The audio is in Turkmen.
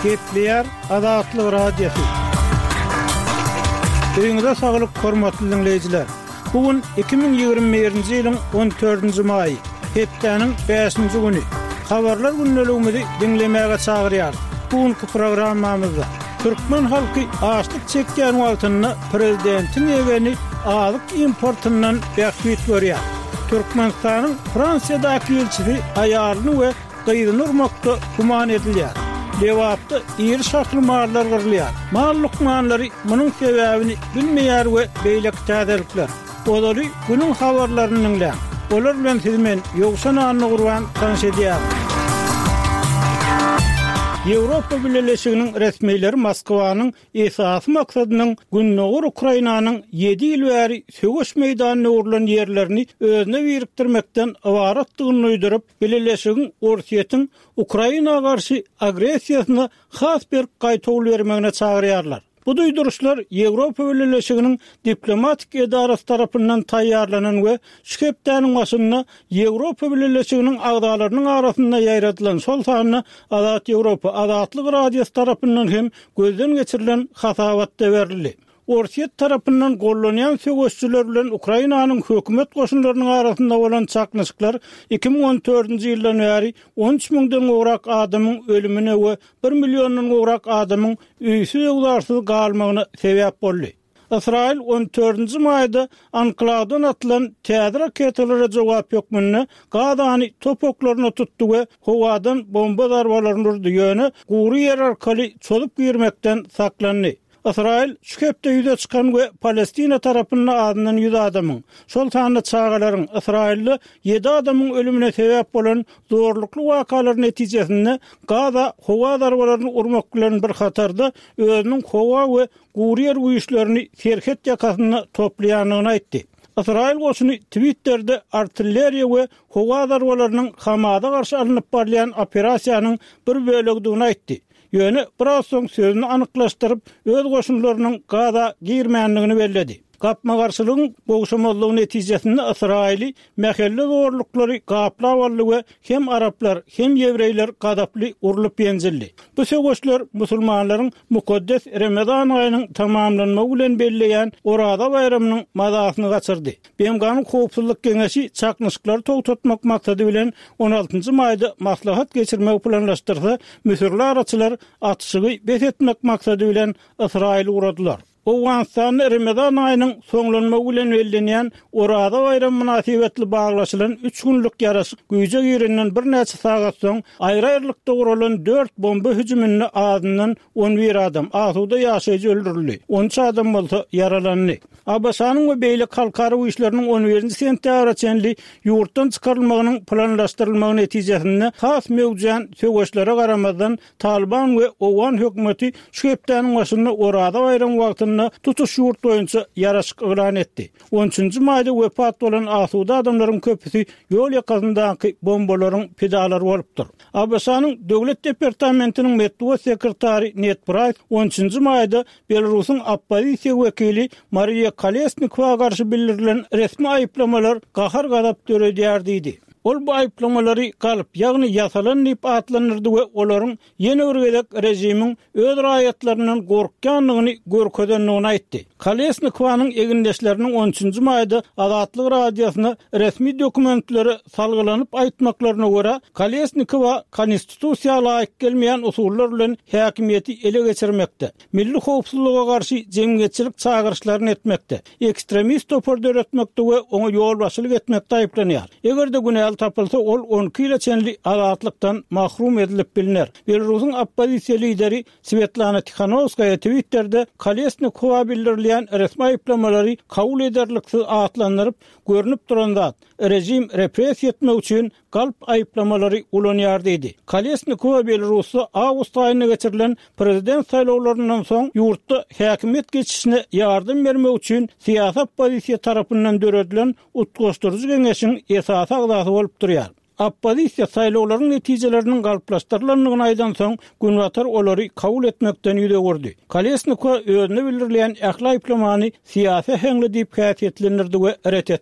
Gepleýär Azatlyk Radiosy. Öýüňize saglyk, hormatly diňleýjiler! Bu gün 2021-nji ýylyň on dördünji maýy, hepdäniň bäşinji güni. Habarlar gündeligimizi diňlemäge çagyrýarys. Bu günki programmamyzda türkmen halky açlyk çekýän wagtynda prezidentiň ýegeni azyk importyndan bähbit görýär. Türkmenistanyň Fransiýadaky ilçisi aýalyny we gyzyny urmakda güman edilýär. Lebapda iri şahly mallar gyrylýar. Mal lukmanlary munuň sebäbini bilmeýär we beýleki täzelikler. Ozaly günüň habarlaryny diňläň. Olar bilen sizi men, Ýowşan Annagurban tanyş edýärin. Ýewropa Bileleşiginiň resmileri Moskwanyň esasy maksadynyň gündogar Ukrainanyň ýedi ýyl bäri söweş meýdanyna öwrülen ýerlerini özüne birikdirmekden ybaratdygyny duýduryp, Bileleşigiň Orsýetiň Ukraina garşy agressiýasyna has berk gaýtawul bermegine çagyrýarlar. Bu duýduryşlar Ýewropa Bileleşiginiň diplomatik edarasy tarapyndan taýýarlanan we şu hepdäniň başynda Ýewropa Bileleşiginiň agzalarynyň arasynda ýaýradylan, şol sanda Azat Ýewropa, Azatlyk Radiosy tarapyndan hem gözden geçirilen hasabatda berildi. Orsýet tarapyndan gollanýan söweşijiler bilen Ukrainanyň hökümet goşunlarynyň arasynda bolan çaknyşyklar 2014-nji ýyldan bäri 13 müňden gowrak adamyň ölümine we bir milliondan gowrak adamyň öýsüz-öwzarsyz galmagyna sebäp boldy. Ysraýyl on dördünji maýda anklawdan atylan täze raketalara jogap hökmünde Gazany top oklaryna tutdy we howadan bomba zarbalaryny urdy, ýöne gury ýer arkaly çozup girmekden saklandy. Ysraýyl şu hepde ýüze çykan we Palestina tarapynda azyndan 100 adamyň, şol sanda çagalaryň, Ysraýylda ýedi adamyň ölümine sebäp bolan zorlukly wakalar netijesinde Gaza howa zarbalaryny urmak bilen bir hatarda özüniň howa we gury ýer güýçlerini serhet ýakasynda toplaýandygyny aýtdy. Ysraýyl goşuny Twitterde artilleriýa we howa zarbalarynyň Hamasa garşy alnyp barylýan operasiýanyň bir bölegidigini aýtdy. Ýöne biraz soň sözüni anyklaşdyryp, öz goşunlarynyň Gaza girmändigini belledi. Gapma-garşylygyň gowşamazlygy netijesinde Ysraýyly mähelle zorluklary gaplap aldy we hem araplar, hem ýewreýler gazaply urlup-ýenjildi. Bu söweşler musulmanlaryň mukaddes Remezan aýynyň tamamlanmagy bilen belleýän Oraza baýramynyň mazasyny gaçyrdy. BMG-niň Howpsuzlyk Geňeşi çaknyşyklary togtatmak maksady bilen on altynjy maýda maslahat geçirmegi planlaşdyrsa, müsürli araçylar atyşygy bes etmek maksady bilen Ysraýyla ugradylar. Owganystanda Remezan aýynyň soňlanmagy bilen bellenýän Oraza baýramy mynasybetli baglaşylan üç günlük ýaraşyk güýje girenden birnäçe sagat soň, aýry-aýrylykda guralan dört bomba hüjüminde azyndan on bir adam, asuda ýaşaýjy öldürildi, on üç adam bolsa ýaralandy. ABŞ-nyň we beýleki halkara güýçleriniň on birinji sentýabra çenli ýurtdan çykarylmagynyň planlaşdyrylmagy netijesinde has möwjän söweşlere garamazdan, Talyban we owgan hökümeti şu hepdäniň başynda Oraza baýramy wagtynda tutuş ýurt boýunça ýaraşyk yglan etdi. On üçünji maýda wepat bolan asuda adamlaryň köpüsi ýol ýakasyndaky bombalaryň pidalary bolupdyr. ABŞ-nyň Döwlet departamentiniň metbugat sekretary Ned Praýs on üçünji maýda Belarusyň oppozisiýa wekili Mariýa Kolesnikowa garşy bildirilen resmi aýyplamalar gahar-gazap döredýär diýdi. Ol bu aýyplamalary galp, ýagny ýasalan diýip atlandyrdy we olaryň ýene bir gezek režimiň öz raýatlaryndan gorkýandygyny görkezendigini aýtdy. Kolesnikowanyň egindeşleriniň on üçünji maýda Azatlyk Radiosyna resmi dokumentlere salgylanyp aýtmaklaryna görä, Kolesnikowa konstitusiýa laýyk gelmeýän usullar bilen häkimiýeti ele geçirmekde, milli howpsuzlyga garşy jemgyýetçilik çagyryşlaryny etmekde, ekstremist topar döretmekde we oňa ýolbaşçylyk etmekde aýyplanýar. Eger-de günäli tapylsa, ol 12 ýyla çenli azatlykdan mahrum edilip bilner. Belarusyň oppozisiýa lideri Swetlana Tihanowskaýa Twitterde Kolesnikowa bildirilýän resmi aýyplamalary kabul ederliksiz atlandyryp, görnüp duran zat, režim repressiýa etmek üçin galp aýyplamalary ulanýar diýdi. Kolesnikowa Belarusda awgust aýynda geçirilen prezident saýlawlaryndan soň ýurtda häkimiýet geçişine ýardam bermek üçin syýasy oppozisiýa tarapyndan döredilen Utgaşdyryjy geňeşiň esasy agzasy bolup durýar. Oppozisiýa saýlawlaryň netijeleriniň galplaşdyrylandygyny aýdansoň, Günbatar olary kabul etmekden ýüz öwürdi. Kolesnikowa özüne bildirilýän ähli aýyplamany syýasy äheňli diýip häsiýetlendirdi we ret etdi.